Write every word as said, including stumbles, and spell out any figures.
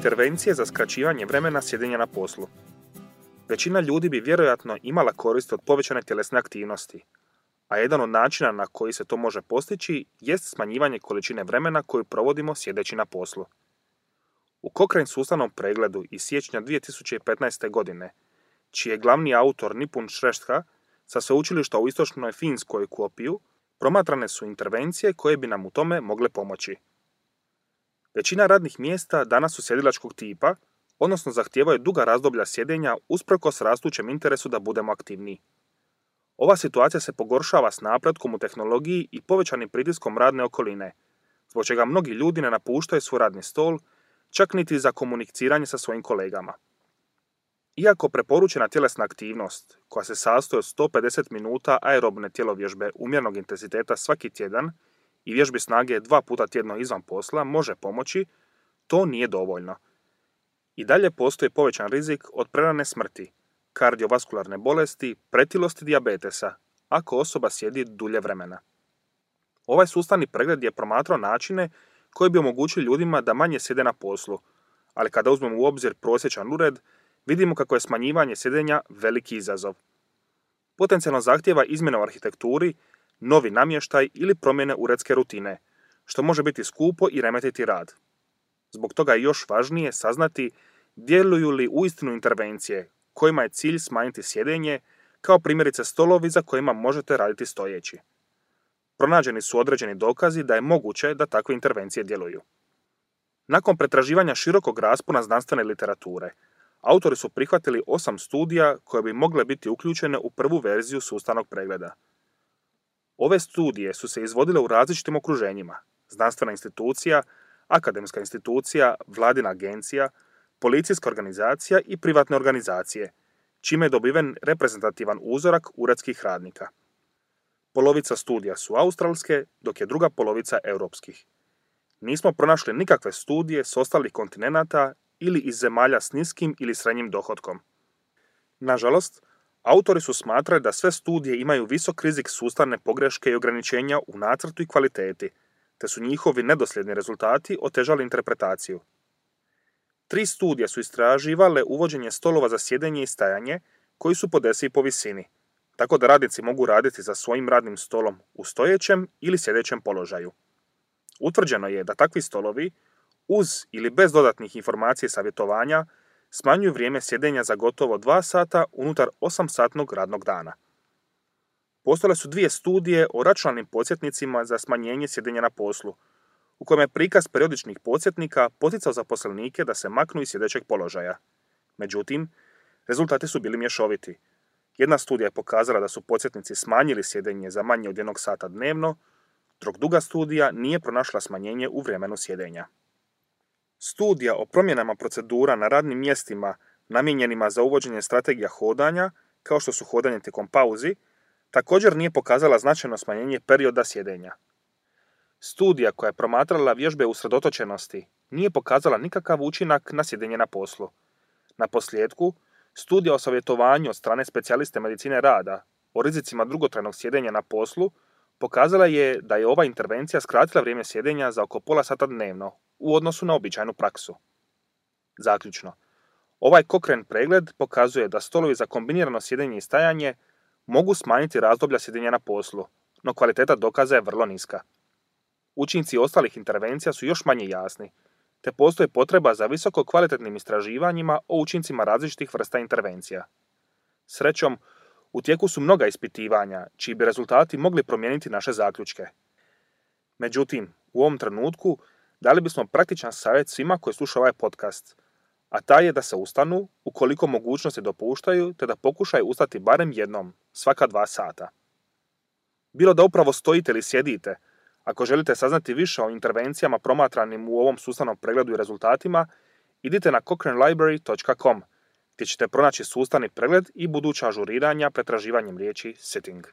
Intervencije za skraćivanje vremena sjedenja na poslu. Većina ljudi bi vjerojatno imala korist od povećane tjelesne aktivnosti, a jedan od načina na koji se to može postići jest smanjivanje količine vremena koju provodimo sjedeći na poslu. U Cochrane sustavnom pregledu iz siječnja dvije tisuće petnaeste. godine, čiji je glavni autor Nipun Shrestha sa sveučilišta u istočnoj Finskoj Kuopiju, promatrane su intervencije koje bi nam u tome mogle pomoći. Većina radnih mjesta danas su sjedilačkog tipa, odnosno zahtijevaju duga razdoblja sjedenja usprkos rastućem interesu da budemo aktivniji. Ova situacija se pogoršava s napretkom u tehnologiji i povećanim pritiskom radne okoline, zbog čega mnogi ljudi ne napuštaju svoj radni stol, čak niti za komuniciranje sa svojim kolegama. Iako preporučena tjelesna aktivnost, koja se sastoji od sto pedeset minuta aerobne tjelovježbe umjernog intenziteta svaki tjedan i vježbi snage dva puta tjedno izvan posla, može pomoći, to nije dovoljno. I dalje postoji povećan rizik od prerane smrti, kardiovaskularne bolesti, pretilosti i dijabetesa, ako osoba sjedi dulje vremena. Ovaj sustavni pregled je promatrao načine koji bi omogućili ljudima da manje sjede na poslu, ali kada uzmemo u obzir prosječan ured, vidimo kako je smanjivanje sjedenja veliki izazov. Potencijalno zahtijeva izmjene u arhitekturi, novi namještaj ili promjene uredske rutine, što može biti skupo i remetiti rad. Zbog toga je još važnije saznati djeluju li uistinu intervencije kojima je cilj smanjiti sjedenje, kao primjerice stolovi za kojima možete raditi stojeći. Pronađeni su određeni dokazi da je moguće da takve intervencije djeluju. Nakon pretraživanja širokog raspona znanstvene literature, autori su prihvatili osam studija koje bi mogle biti uključene u prvu verziju sustavnog pregleda. Ove studije su se izvodile u različitim okruženjima: znanstvena institucija, akademska institucija, vladina agencija, policijska organizacija i privatne organizacije, čime je dobiven reprezentativan uzorak uredskih radnika. Polovica studija su australske, dok je druga polovica europskih. Nismo pronašli nikakve studije s ostalih kontinenata ili iz zemalja s niskim ili srednjim dohotkom. Nažalost, autori su smatrali da sve studije imaju visok rizik sustavne pogreške i ograničenja u nacrtu i kvaliteti, te su njihovi nedosljedni rezultati otežali interpretaciju. Tri studije su istraživale uvođenje stolova za sjedenje i stajanje koji su podesi po visini, tako da radnici mogu raditi za svojim radnim stolom u stojećem ili sjedećem položaju. Utvrđeno je da takvi stolovi, uz ili bez dodatnih informacija i savjetovanja, smanjuju vrijeme sjedenja za gotovo dva sata unutar osam-satnog radnog dana. Postojale su dvije studije o računalnim podsjetnicima za smanjenje sjedenja na poslu, u kojem je prikaz periodičnih podsjetnika poticao zaposlenike da se maknu iz sjedećeg položaja. Međutim, rezultati su bili mješoviti. Jedna studija je pokazala da su podsjetnici smanjili sjedenje za manje od jednog sata dnevno, dok druga studija nije pronašla smanjenje u vremenu sjedenja. Studija o promjenama procedura na radnim mjestima namijenjenima za uvođenje strategija hodanja, kao što su hodanje tijekom pauzi, također nije pokazala značajno smanjenje perioda sjedenja. Studija koja je promatrala vježbe usredotočenosti nije pokazala nikakav učinak na sjedenje na poslu. Na posljedku, studija o savjetovanju od strane specijaliste medicine rada o rizicima dugotrajnog sjedenja na poslu pokazala je da je ova intervencija skratila vrijeme sjedenja za oko pola sata dnevno u odnosu na običajnu praksu. Zaključno, ovaj Cochrane pregled pokazuje da stolovi za kombinirano sjedenje i stajanje mogu smanjiti razdoblja sjedenja na poslu, no kvaliteta dokaza je vrlo niska. Učinci ostalih intervencija su još manje jasni, te postoji potreba za visoko kvalitetnim istraživanjima o učincima različitih vrsta intervencija. Srećom, u tijeku su mnoga ispitivanja, čiji bi rezultati mogli promijeniti naše zaključke. Međutim, u ovom trenutku dali bismo praktičan savjet svima koji slušaju ovaj podcast, a taj je da se ustanu, ukoliko mogućnosti dopuštaju, te da pokušaju ustati barem jednom, svaka dva sata. Bilo da upravo stojite ili sjedite, ako želite saznati više o intervencijama promatranim u ovom sustavnom pregledu i rezultatima, idite na cochrane library dot com, gdje ćete pronaći sustavni pregled i buduća ažuriranja pretraživanjem riječi sitting.